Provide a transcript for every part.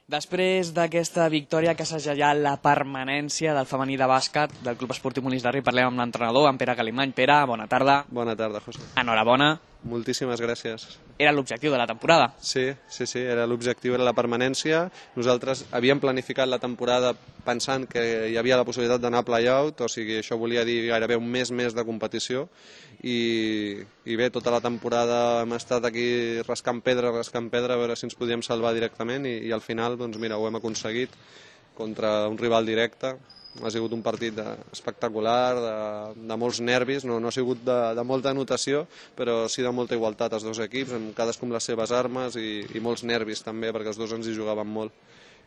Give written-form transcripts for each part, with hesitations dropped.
Després d'aquesta victòria que ha segellat la permanència del femení de bàsquet del Club Esportiu Molins de Rei, parlem amb l'entrenador, en Pere Calimany. Pere, bona tarda. Bona tarda, José. Enhorabona. Moltíssimes gràcies. Era l'objectiu de la temporada. Sí, era l'objectiu, era la permanència. Nosaltres havíem planificat la temporada pensant que hi havia la possibilitat d'anar a play-out, o sigui, això volia dir gairebé un mes més de competició, i bé, tota la temporada hem estat aquí rascant pedra, a veure si ens podíem salvar directament, i al final, doncs mira, ho hem aconseguit contra un rival directe. Ha sigut un partit espectacular, de molts nervis, no ha sigut de molta anotació, però sí de molta igualtat als dos equips, amb cadascú amb les seves armes i molts nervis també, perquè els dos ens hi jugaven molt.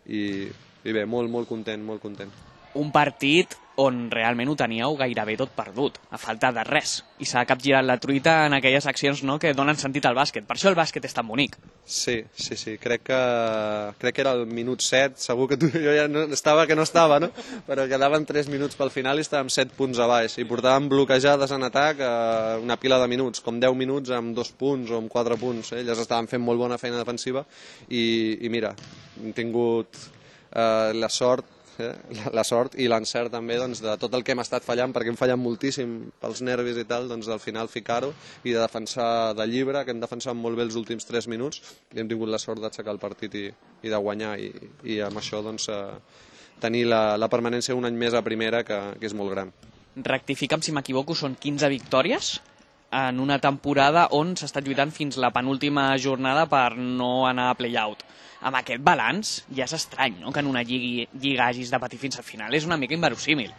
I bé, molt content, molt content. Un partit on realment ho teníeu gairebé tot perdut, a falta de res, i s'ha capgirat la truita en aquelles accions que donen sentit al bàsquet. Per això el bàsquet és tan bonic. Sí, crec que era el minut 7, segur que jo ja no estava, no? Però quedaven 3 minuts pel final i estàvem 7 punts a baix, i portàvem bloquejades en atac una pila de minuts, com 10 minuts amb 2 punts o amb 4 punts. Elles estaven fent molt bona feina defensiva i mira, hem tingut la sort i l'encert també de tot el que hem estat fallant, perquè hem fallat moltíssim pels nervis i tal, doncs al final ficar-ho i de defensar de llibre, que hem defensat molt bé els últims 3 minuts, i hem tingut la sort d'aixecar el partit i de guanyar, i amb això doncs tenir la permanència un any més a primera, que és molt gran. Rectifica'm si m'equivoco, són 15 victòries en una temporada on s'ha estat lluitant fins la penúltima jornada per no anar a play-out. Amb aquest balanç ja és estrany, no?, que en una lliga hagis de patir fins al final. És una mica inverossímil.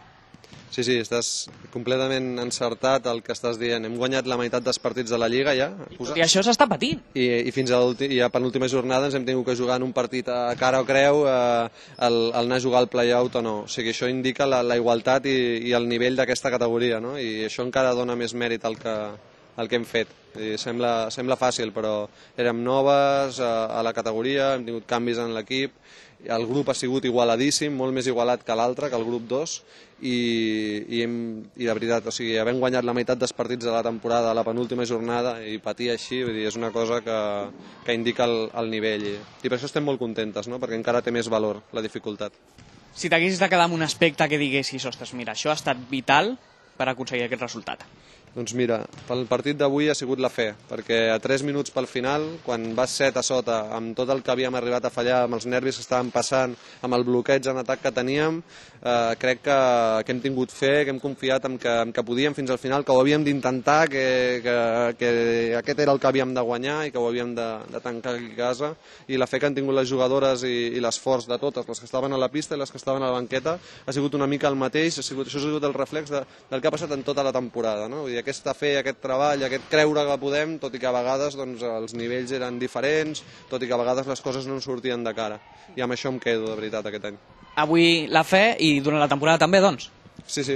Sí, estàs completament encertat el que estàs dient. Hem guanyat la meitat dels partits de la Lliga ja. I això s'està patint. I fins a la penúltima jornada ens hem tingut que jugar en un partit a cara o creu el anar a jugar al play-out o no. O sigui, això indica la igualtat i el nivell d'aquesta categoria, no? I això encara dona més mèrit al que hem fet. Sembla fàcil, però érem noves a la categoria, hem tingut canvis en l'equip, el grup ha sigut igualadíssim, molt més igualat que l'altre, que el grup 2, i de veritat, o sigui, havent guanyat la meitat dels partits de la temporada a la penúltima jornada i patir així, vull dir, és una cosa que indica el nivell, i per això estem molt contentes, no?, perquè encara té més valor la dificultat. Si t'haguessis de quedar amb un aspecte que diguessis, ostres, mira, això ha estat vital per aconseguir aquest resultat. Doncs mira, pel partit d'avui ha sigut la fe, perquè a 3 minuts pel final, quan vas 7 a sota, amb tot el que havíem arribat a fallar, amb els nervis que estàvem passant, amb el bloqueig en atac que teníem, crec que hem tingut fe, que hem confiat en que podíem fins al final, que ho havíem d'intentar, que aquest era el que havíem de guanyar i que ho havíem de tancar aquí a casa, i la fe que han tingut les jugadores i l'esforç de totes, les que estaven a la pista i les que estaven a la banqueta, ha sigut una mica el mateix, això ha sigut el reflex del que ha passat en tota la temporada, no? Vull dir, aquesta fe, aquest treball, aquest creure que podem, tot i que a vegades els nivells eren diferents, tot i que a vegades les coses no ens sortien de cara. I amb això em quedo, de veritat, aquest any. Avui la fe i durant la temporada també, doncs? Sí.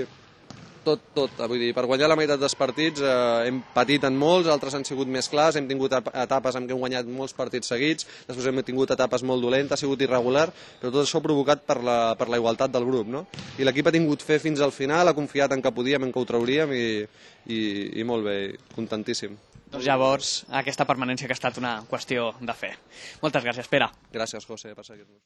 Tot. Vull dir, per guanyar la meitat dels partits hem patit en molts, altres han sigut més clars, hem tingut etapes en què hem guanyat molts partits seguits, després hem tingut etapes molt dolentes, ha sigut irregular, però tot això provocat per la igualtat del grup, no? I l'equip ha tingut fe fins al final, ha confiat en que podíem, en que ho trauríem, i molt bé, contentíssim. Doncs llavors, aquesta permanència que ha estat una qüestió de fe. Moltes gràcies, Pere. Gràcies, José, per seguir-nos.